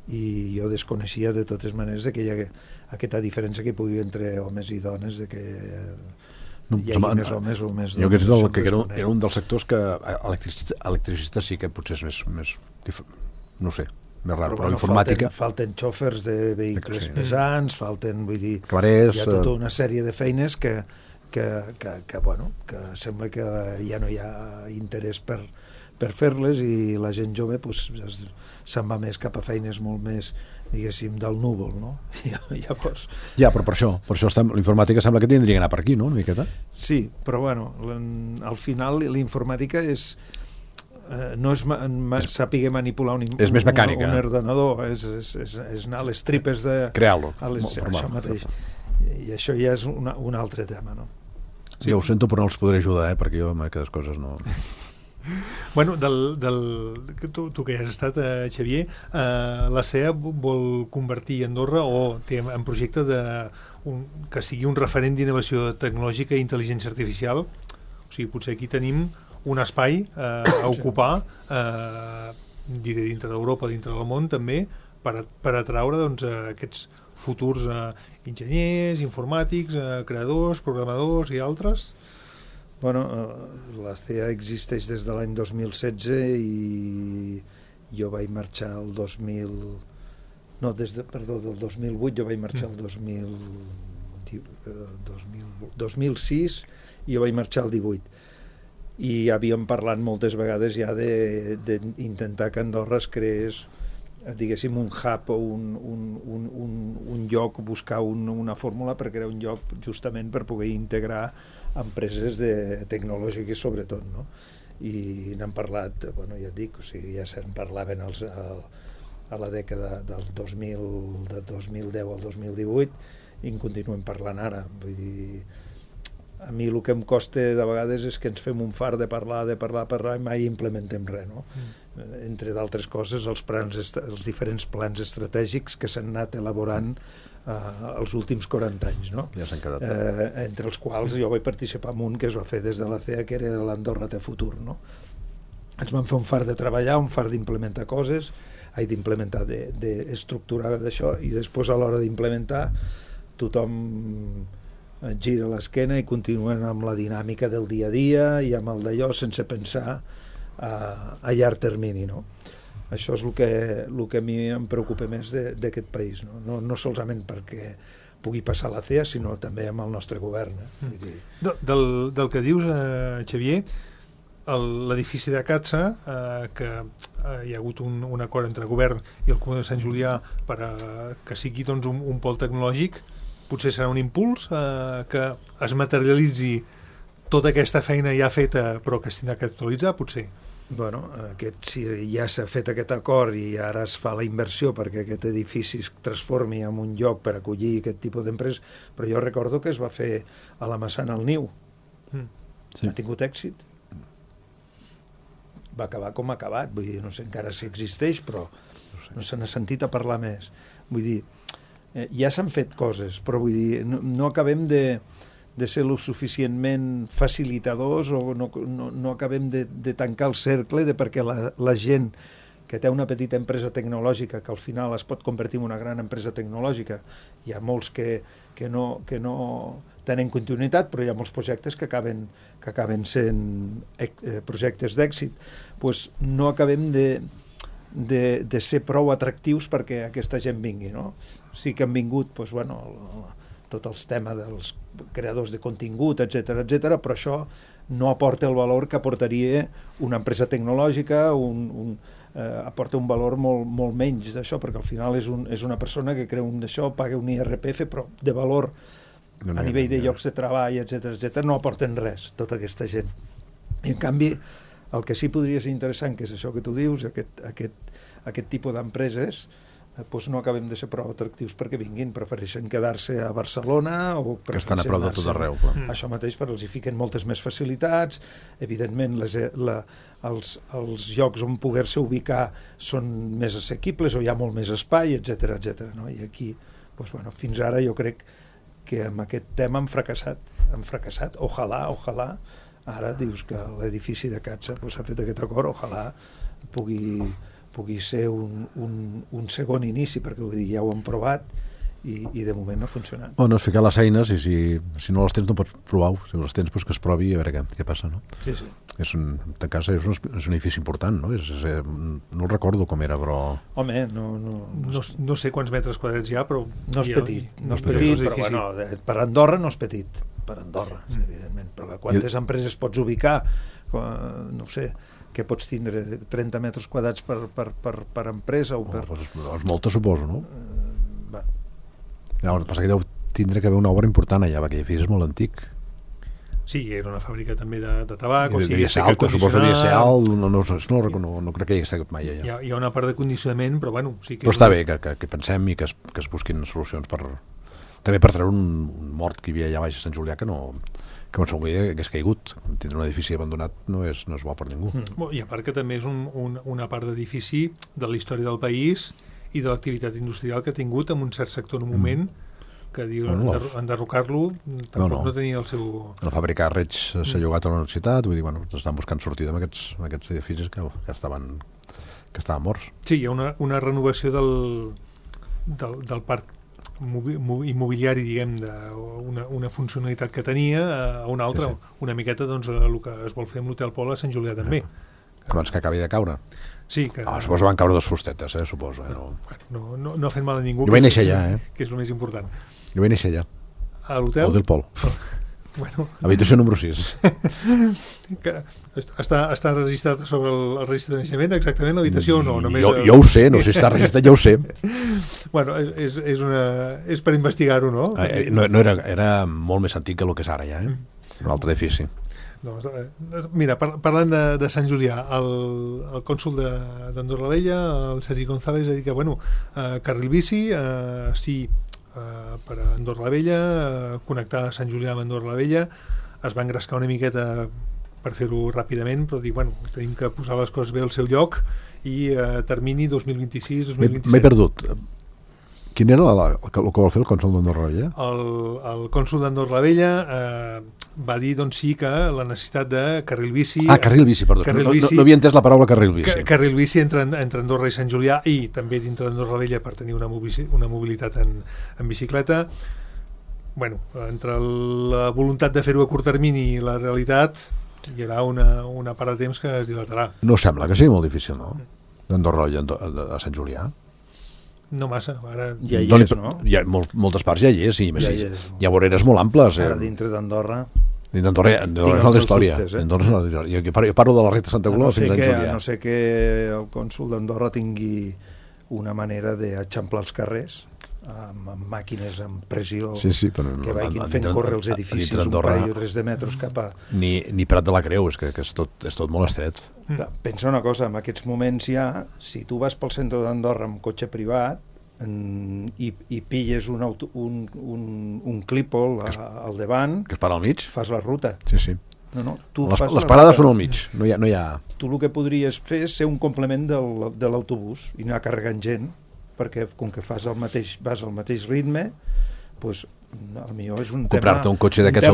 i jo desconeixia de totes maneres que hi ha aquesta diferència que hi pugui entre homes i dones, de que hi hagi més homes o més dones. Jo crec que era un dels sectors que electricista sí que potser és més no sé, més raro, però informàtica... Falten xòfers de vehicles pesants, vull dir, cabarers, hi ha tota una sèrie de feines que sembla que ja no hi ha interès per fer-les i la gent jove se'n va més cap a feines molt més, diguéssim, del núvol, no? Llavors... Ja, però per això l'informàtica sembla que tindria que anar per aquí, no?, una miqueta? Sí, però al final l'informàtica no és saber manipular un ordenador, és anar a les tripes de... Crear-lo. Això mateix. I això ja és un altre tema, no? Sí, ho sento, però no els podré ajudar, perquè jo aquestes coses no... Bueno, tu que has estat, Xavier, la CEA vol convertir Andorra o té en projecte que sigui un referent d'innovació tecnològica i intel·ligència artificial. O sigui, potser aquí tenim un espai a ocupar, diré, dintre d'Europa, dintre del món també, per atraure aquests futurs enginyers, informàtics, creadors, programadors i altres. Bueno, la CEA existeix des de l'any 2016 i jo vaig marxar el 2008, jo vaig marxar el 2006 i jo vaig marxar el 18. I havíem parlat moltes vegades ja d'intentar que Andorra es creés, diguéssim, un hub o un lloc, buscar una fórmula per crear un lloc justament per poder integrar empreses tecnològiques sobretot, no? I n'han parlat, ja et dic, o sigui, ja se'n parlaven a la dècada del 2010 al 2018 i en continuem parlant ara. Vull dir, a mi el que em costa de vegades és que ens fem un fart de parlar i mai implementem res, no? Entre d'altres coses, els diferents plans estratègics que s'han anat elaborant els últims 40 anys, no? Ja s'han quedat. Entre els quals jo vaig participar en un que es va fer des de la CEA, que era l'Andorra té futur, no? Ens vam fer un fart de treballar, un fart d'implementar coses, d'implementar, d'estructurar d'això, i després a l'hora d'implementar tothom gira l'esquena i continuen amb la dinàmica del dia a dia i amb el d'allò sense pensar a llarg termini, no? Això és el que a mi em preocupa més d'aquest país, no solament perquè pugui passar la CEA, sinó també amb el nostre govern. Del que dius, Xavier, l'edifici de Catsa, que hi ha hagut un acord entre el govern i el Comú de Sant Julià que sigui doncs, un pol tecnològic, potser serà un impuls que es materialitzi tota aquesta feina ja feta però que es tindrà que actualitzar, potser? Bueno, si ja s'ha fet aquest acord i ara es fa la inversió perquè aquest edifici es transformi en un lloc per acollir aquest tipus d'empreses, però jo recordo que es va fer a la Massana al Niu. Sí. Ha tingut èxit. Va acabar com ha acabat, vull dir, no sé encara si existeix, però no se n'ha sentit a parlar més. Vull dir, ja s'han fet coses, però vull dir, no acabem de ser lo suficientment facilitadors o no acabem de tancar el cercle perquè la gent que té una petita empresa tecnològica que al final es pot convertir en una gran empresa tecnològica, hi ha molts que no tenen continuïtat, però hi ha molts projectes que acaben sent projectes d'èxit, doncs no acabem de ser prou atractius perquè aquesta gent vingui, no? Sí que han vingut, doncs, bueno, tot els temes dels creadors de contingut, etc, però això no aporta el valor que aportaria una empresa tecnològica, aporta un valor molt menys d'això, perquè al final és una persona que crea d'això, paga un IRPF, però de valor a nivell de llocs de treball, etc, no aporten res, tota aquesta gent. I en canvi, el que sí podria ser interessant, que és això que tu dius, aquest tipus d'empreses, doncs no acabem de ser prou atractius perquè vinguin, prefereixen quedar-se a Barcelona o que estan a prop de tot arreu. Això mateix, però els hi fiquen moltes més facilitats, evidentment els llocs on poder-se ubicar són més assequibles o hi ha molt més espai, etc. No? I aquí, doncs, bueno, fins ara jo crec que amb aquest tema han fracassat. Ojalà, ara dius que l'edifici de Catsa s'ha fet aquest acord, ojalà pugui ser un segon inici, perquè vull dir, ja ho hem provat i de moment no ha funcionat. Bueno, és ficar les eines i si no les tens no pots provar, si les tens doncs que es provi a veure què passa, no? Sí. De casa és un edifici important, no? No recordo com era, però... Home, no sé quants metres quadrats hi ha, però... No és petit, però bueno, per Andorra no és petit, per Andorra, evidentment, però quantes empreses pots ubicar, no sé, que pots tindre 30 metres quadrats per empresa o per... És molta, suposo, no? El que passa que deu tindre que haver una obra important allà, perquè l'edifici és molt antic. Sí, era una fàbrica també de tabac, o sigui, suposo que devia ser alt, no crec que hi hagués estat mai allà. Hi ha una part de condicionament, però bueno... Sí que però està bé que pensem i que es busquin solucions també per treure un mort que hi havia allà baix a Sant Julià que no s'hauria que hagués caigut. Tindre un edifici abandonat no és bo per ningú. I a part que també és una part d'edifici de la història del país i de l'activitat industrial que ha tingut en un cert sector en un moment que diuen enderrocar-lo tampoc no tenia el seu... La fàbrica de Reig s'ha llogat a la universitat, vull dir, estan buscant sortida amb aquests edificis que estaven morts. Sí, hi ha una renovació del parc immobiliari, diguem, d'una funcionalitat que tenia a una altra, una miqueta doncs el que es vol fer amb l'Hotel Pol a Sant Julià també. Abans que acabi de caure. Sí, que... Suposo van caure 2 fustetes, suposo. No ha fet mal a ningú. Jo vaig néixer allà, que és el més important. Jo vaig néixer allà. A l'hotel? Al Hotel Pol. Bueno. Habitació número 6. Està registrat sobre el registre de naixement exactament l'habitació o no? Jo ho sé, no sé si està registrat, jo ho sé. Bueno, és per investigar-ho, no? No era molt més antic que el que és ara ja, un altre edifici. Mira, parlant de Sant Julià, el cònsol d'Andorra la Vella, el Sergi González, ha dit que, carril bici, sí, per a Andorra la Vella, connectar Sant Julià amb Andorra la Vella, es va engrescar una miqueta per fer-ho ràpidament, però dic, tenim que posar les coses bé al seu lloc i termini 2026-2027. M'he perdut. Quin era el que vol fer el cònsol d'Andorra la Vella? El cònsol d'Andorra la Vella va dir, sí, que la necessitat de carril bici... Carril bici, perdó. No havia entès la paraula carril bici. Carril bici entre Andorra i Sant Julià i també dintre d'Andorra la Vella per tenir una mobilitat en bicicleta. Entre la voluntat de fer-ho a curt termini i la realitat hi haurà una part de temps que es dilatarà. No sembla que sigui molt difícil, no? D'Andorra a Sant Julià. No massa, ara... Ja hi és, no? Hi ha moltes parts, ja hi és, hi ha voreres molt amples. Ara dintre d'Andorra... Dintre d'Andorra és una altra història. Jo parlo de la recta Santa Coloma fins a Julià. A no ser que el cònsol d'Andorra tingui una manera d'eixamplar els carrers amb màquines amb pressió que vagin fent córrer els edificis un parell o 3 de metres cap a... Ni Prat de la Creu, és que és tot molt estret. Pensa una cosa, en aquests moments ja, si tu vas pel centre d'Andorra amb cotxe privat i pilles un clípol al davant, que es para al mig, fas la ruta. Sí. Les parades són al mig, no hi ha... Tu el que podries fer és ser un complement de l'autobús i anar carregant gent, perquè com que vas al mateix ritme, doncs potser és un tema a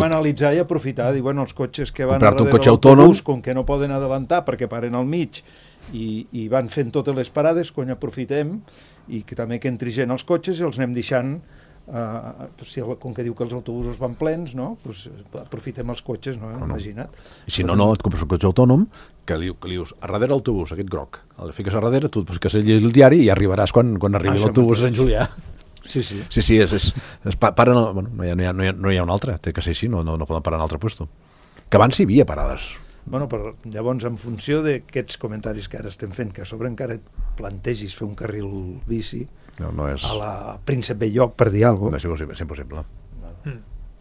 analitzar i aprofitar. Dir, els cotxes que van darrere l'autobús, com que no poden adelantar perquè paren al mig i van fent totes les parades, aprofitem, i que també que entri gent als cotxes i els anem deixant, com que diu que els autobusos van plens, aprofitem els cotxes, imagina't. I si no, et compres un cotxe autònom que li dius, a darrere l'autobús, aquest groc, el fiques a darrere, tu que sigui el diari i arribaràs quan arribi l'autobús a Sant Julià. Sí. No hi ha un altre, té que ser així, no poden parar en un altre lloc. Que abans hi havia parades. Però llavors, en funció d'aquests comentaris que ara estem fent, que a sobre encara et plantegis fer un carril bici no és... a la Príncep Belloc, per dir alguna cosa. És impossible.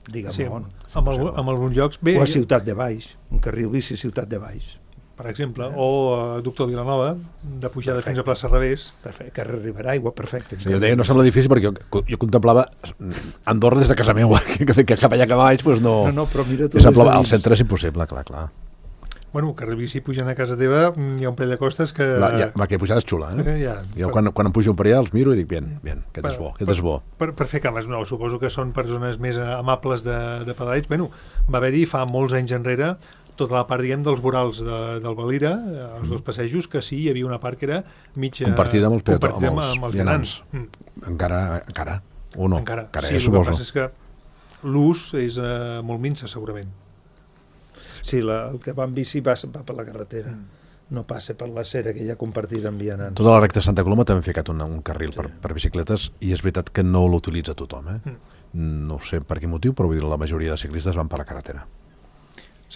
Digue'm on. En alguns llocs... O a Ciutat de Baix, un carril bici a Ciutat de Baix. Per exemple, o a Doctor Vilanova, de pujada fins a plaça Revés. Perfecte, carrer Riberaigua, perfecte. Jo deia, no sembla difícil perquè jo contemplava Andorra des de casa meva, que cap allà que baix, no... No, però mira tu al centre és impossible, clar. Carrer bici pujant a casa teva, hi ha un parell de costes que... Que pujada és xula, Jo quan em pujo un parell els miro i dic, bien, aquest és bo. Per fer cames, suposo que són persones més amables de pedalls. Va haver-hi fa molts anys enrere tota la part, dels vorals del Valira, els dos passejos, que sí, hi havia una part que era mitja... Compartida amb els vianants. Encara, o no? Encara, sí, el que passa és que l'ús és molt minsa, segurament. Sí, el que va en bici va per la carretera, no passa per la cera que hi ha compartida amb vianants. Tota la recta de Santa Coloma també han ficat un carril per bicicletes i és veritat que no l'utilitza tothom. No sé per quin motiu, però vull dir, la majoria de ciclistes van per la carretera.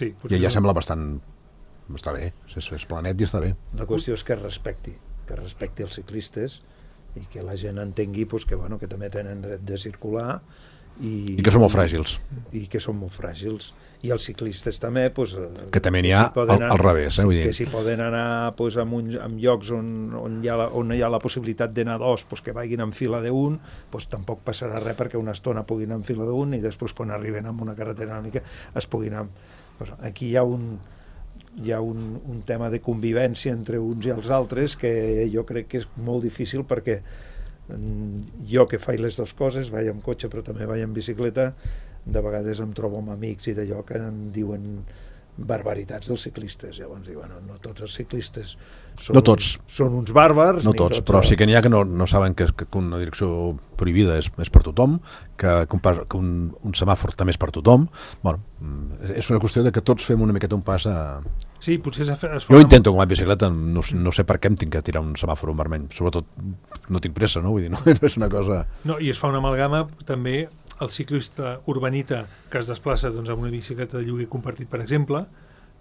Sí, i ja sembla bastant... Està bé, és planet i està bé. La qüestió és que respecti els ciclistes i que la gent entengui que també tenen dret de circular i que són molt fràgils. I els ciclistes també que també n'hi ha al revés, que si poden anar en llocs on hi ha la possibilitat d'anar dos, que vagin en fila d'un, tampoc passarà res perquè una estona puguin anar en fila d'un i després quan arriben a una carretera una mica es puguin anar. Aquí hi ha un tema de convivència entre uns i els altres que jo crec que és molt difícil, perquè jo que faig les dues coses, vaig amb cotxe però també vaig amb bicicleta, de vegades em trobo amb amics i d'allò que em diuen barbaritats dels ciclistes. Llavors diuen, no tots els ciclistes són uns bàrbars. No tots, però sí que n'hi ha que no saben que una direcció prohibida és per tothom, que un semàfor també és per tothom. És una qüestió de que tots fem una miqueta un pas a... Sí, potser jo ho intento com a bicicleta, no sé per què em tinc que tirar un semàfor vermell, sobretot no tinc pressa, no? Vull dir, no és una cosa... No, i es fa una amalgama també el ciclista urbanita que es desplaça amb una bicicleta de lloguer compartit, per exemple,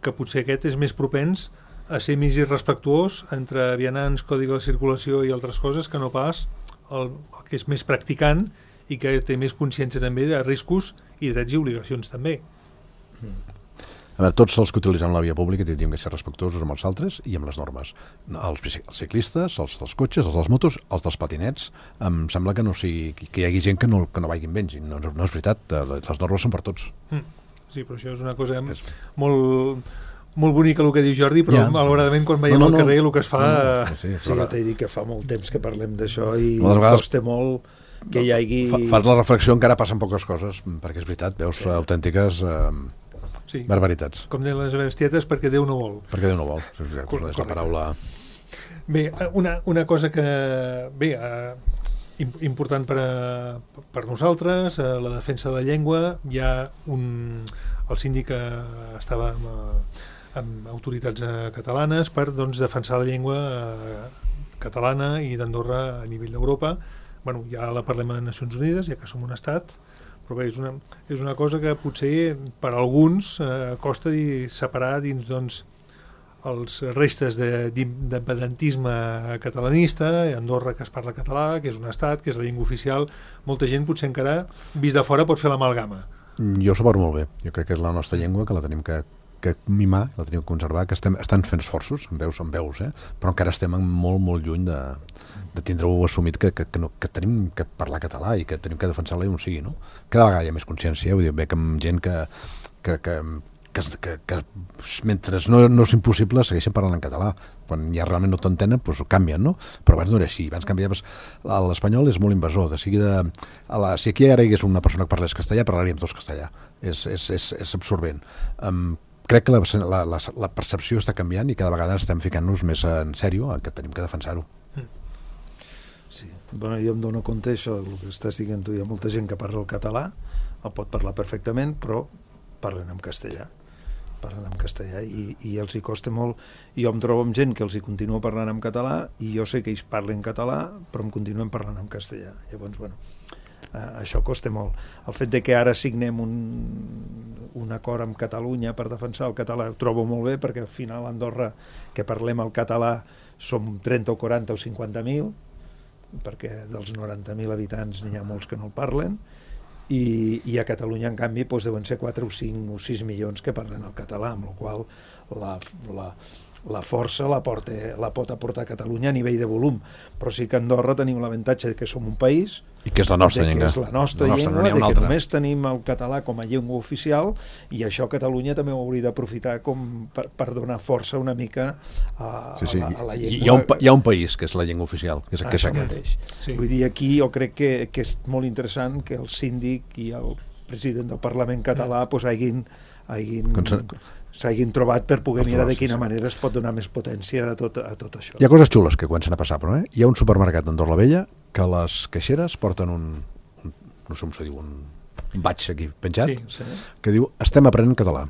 que potser aquest és més propens a ser més irrespectuós entre vianants, codi de la circulació i altres coses, que no pas el que és més practicant i que té més consciència també de riscos i drets i obligacions també. A veure, tots els que utilitzem la via pública tindríem que ser respectuosos amb els altres i amb les normes. Els ciclistes, els dels cotxes, els dels motos, els dels patinets, em sembla que que hi hagi gent que no vagin bé. No és veritat, les normes són per tots. Sí, però això és una cosa molt bonica el que diu Jordi, però malauradament quan veiem al carrer el que es fa... Sí, ja t'he dit que fa molt temps que parlem d'això i costa molt que hi hagi... Fas la reflexió, encara passen poques coses, perquè és veritat, veus autèntiques barbaritats. Com deien les bestietes, perquè Déu no vol. Perquè Déu no vol, és la paraula... Bé, una cosa que... Bé, important per nosaltres, la defensa de la llengua. Hi ha el síndic estava amb autoritats catalanes per defensar la llengua catalana i d'Andorra a nivell d'Europa. Bueno, ja la parlem a Nacions Unides, ja que som un estat, però bé, és una cosa que potser per alguns costa separar dins els restes d'independentisme catalanista, Andorra que es parla català, que és un estat, que és la llengua oficial. Molta gent potser encara, vist de fora, pot fer l'amalgama. Jo separo molt bé. Jo crec que és la nostra llengua, que la tenim que mimar, la tenim que conservar, que estan fent esforços, en veus, però encara estem molt, molt lluny de tindre-ho assumit que tenim que parlar català i que tenim que defensar-la on sigui, no? Cada vegada hi ha més consciència, vull dir, bé que amb gent que mentre no és impossible segueixen parlant en català. Quan ja realment no t'entenen, doncs ho canvien, no? Però abans no era així. Abans canviaves... L'espanyol és molt invasor. Si aquí ara hi hagués una persona que parlés castellà, parlaríem tots castellà. És absorbent. Crec que la percepció està canviant i cada vegada estem ficant-nos més en sèrio que tenim que defensar-ho. Sí. Bueno, jo em dono compte això, el que estàs dient tu. Hi ha molta gent que parla el català, el pot parlar perfectament, però parlen en castellà i els hi costa molt. Jo em trobo amb gent que els hi continuo parlant en català i jo sé que ells parlen català però em continuen parlant en castellà. Llavors, bueno, això costa molt. El fet de que ara signem un acord amb Catalunya per defensar el català ho trobo molt bé, perquè al final a Andorra que parlem el català som 30 o 40 o 50.000, perquè dels 90.000 habitants n'hi ha molts que no el parlen, i a Catalunya en canvi deuen ser 4 o 5 o 6 milions que parlen el català, amb la qual la força la pot aportar a Catalunya a nivell de volum, però sí que a Andorra tenim l'avantatge que som un país i que és la nostra llengua, és la nostra llengua, de que només tenim el català com a llengua oficial, i això Catalunya també ho hauria d'aprofitar com per donar força una mica a la llengua. Hi ha un país que és la llengua oficial, que és aquest. Sí. Vull dir, aquí jo crec que és molt interessant que el síndic i el president del Parlament català s'hagin trobat per poder mirar de quina manera es pot donar més potència a tot això. Hi ha coses xules que comencen a passar, però hi ha un supermercat d'Andorra la Vella que les caixeres porten no sé com se diu, un batx aquí penjat, que diu estem aprenent català.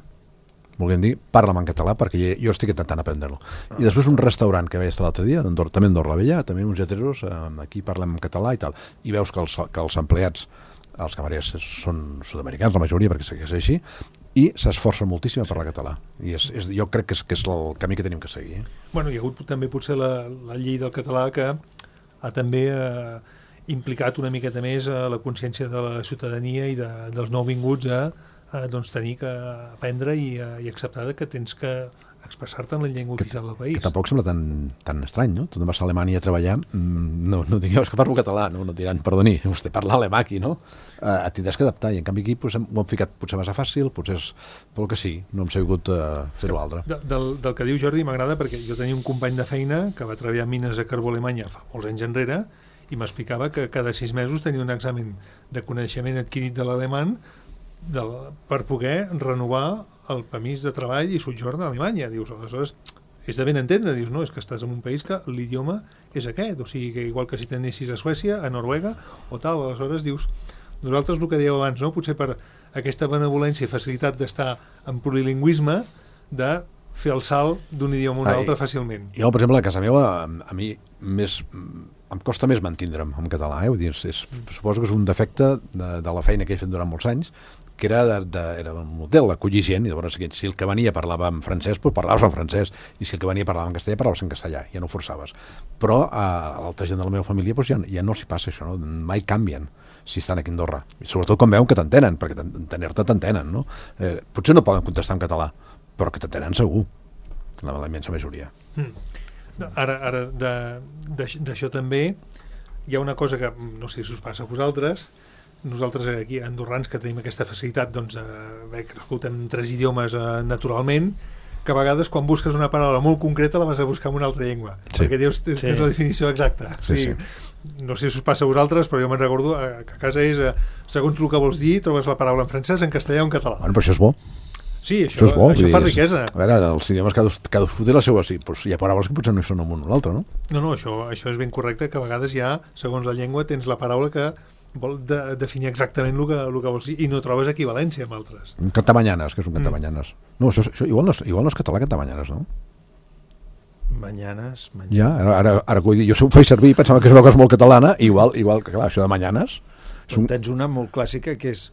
Volguem dir, parla'm en català perquè jo estic intentant aprendre-lo. I després un restaurant que vaig estar l'altre dia, també Andorra la Vella, també uns lleteros, aquí parlem en català i tal. I veus que els empleats, els camarers són sud-americans, la majoria, perquè segueix així, i s'esforcen moltíssim a parlar català. I jo crec que és el camí que tenim que seguir. Bueno, hi ha hagut també potser la llei del català que ha també implicat una miqueta més la consciència de la ciutadania i dels nouvinguts a tenir que aprendre i acceptar que tens que expressar-te en la llengua oficial del país. Que tampoc sembla tan estrany, no? Tu vas a Alemanya a treballar, no digueu, és que parlo català, no diran, perdoni, vostè parla alemà aquí, no? Et tindràs que adaptar, i en canvi aquí ho hem ficat potser massa fàcil, potser és pel que sí, no hem sabut fer-ho altre. Del que diu Jordi m'agrada, perquè jo tenia un company de feina que va treballar en mines a carbó a Alemanya fa molts anys enrere, i m'explicava que cada 6 mesos tenia un examen de coneixement adquirit de l'alemany per poder renovar el permís de treball i sotjorn a Alemanya. Dius, aleshores, és de ben entendre, dius, no, és que estàs en un país que l'idioma és aquest, o sigui, que igual que si t'anessis a Suècia, a Noruega o tal, aleshores dius, nosaltres el que dèieu abans, no? Potser per aquesta benevolència i facilitat d'estar en plurilingüisme, de fer el salt d'un idioma a un altre fàcilment. Jo, per exemple, a casa meva, a mi em costa més mantindre'm en català, vull dir, suposo que és un defecte de la feina que he fet durant molts anys, que era un hotel, acollir gent, i llavors si el que venia parlava en francès, doncs parlaves en francès, i si el que venia parlava en castellà, parlaves en castellà, ja no forçaves. Però a l'altra gent de la meva família ja no s'hi passa això, no? Mai canvien si estan aquí a Andorra, i sobretot quan veuen que t'entenen, perquè t'entenen, no? Potser no poden contestar en català, però que t'atenen segur, la immensa majoria. Ara d'això també hi ha una cosa que no sé si us passa a vosaltres. Nosaltres aquí andorrans que tenim aquesta facilitat d'haver crescut en 3 idiomes naturalment, que a vegades quan busques una paraula molt concreta la vas a buscar en una altra llengua, perquè tens la definició exacta. No sé si us passa a vosaltres, però jo me'n recordo que a casa és segons el que vols dir trobes la paraula en francès, en castellà o en català. Bueno, però això és bo. Sí, això fa riquesa. A veure, els idiomes cadascú té la seva... Sí, però hi ha paraules que potser no hi són un o l'altre, no? No, això és ben correcte, que a vegades ja, segons la llengua, tens la paraula que vol definir exactament el que vols dir i no trobes equivalència amb altres. Cantamanyanes, que és un cantamanyanes. No, això igual no és català, cantamanyanes, no? Manyanes. Ja, ara vull dir, jo ho faig servir i pensava que és una cosa molt catalana, igual que clar, això de manyanes... Tens una molt clàssica que és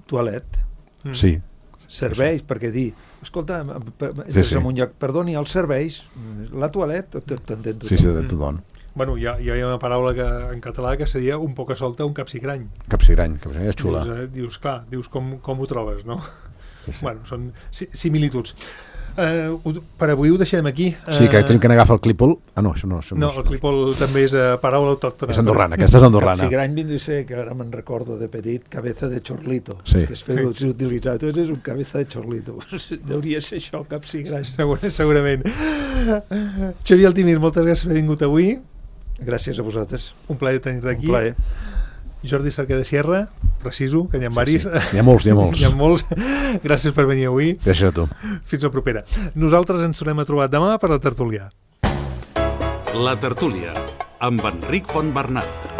toilet. Sí. Serveis, perquè dir, escolta, entres en un lloc, perdoni, els serveis, la toilet, t'entén tothom. Sí, de tothom. Bueno, hi ha una paraula en català que seria un poca solta, un capsigrany. Capsigrany és xula. Dius com ho trobes, no? Bueno, són similituds. Per avui ho deixem aquí. Sí, que tenim que agafar el clípol. No, això no. No, el clípol també és paraula autòctona. És andorrana, aquesta és andorrana. Capsigrany vindria a ser, que ara me'n recordo de petit, cabeza de chorlito. Sí. Que es feu utilitzar. Tu eres un cabeza de chorlito. Deuria ser això, capsigrany. Segurament. Xavier Altimir, moltes gràcies per haver vingut avui. Gràcies a vosaltres. Un plaer tenir-te aquí. Un plaer. Jordi Cerquer de Sierra, preciso, que n'hi ha varis. N'hi ha molts. N'hi ha molts. Gràcies per venir avui. Gràcies a tu. Fins la propera. Nosaltres ens tornem a trobar demà per la tertúlia. La tertúlia, amb Enric Fontbernat.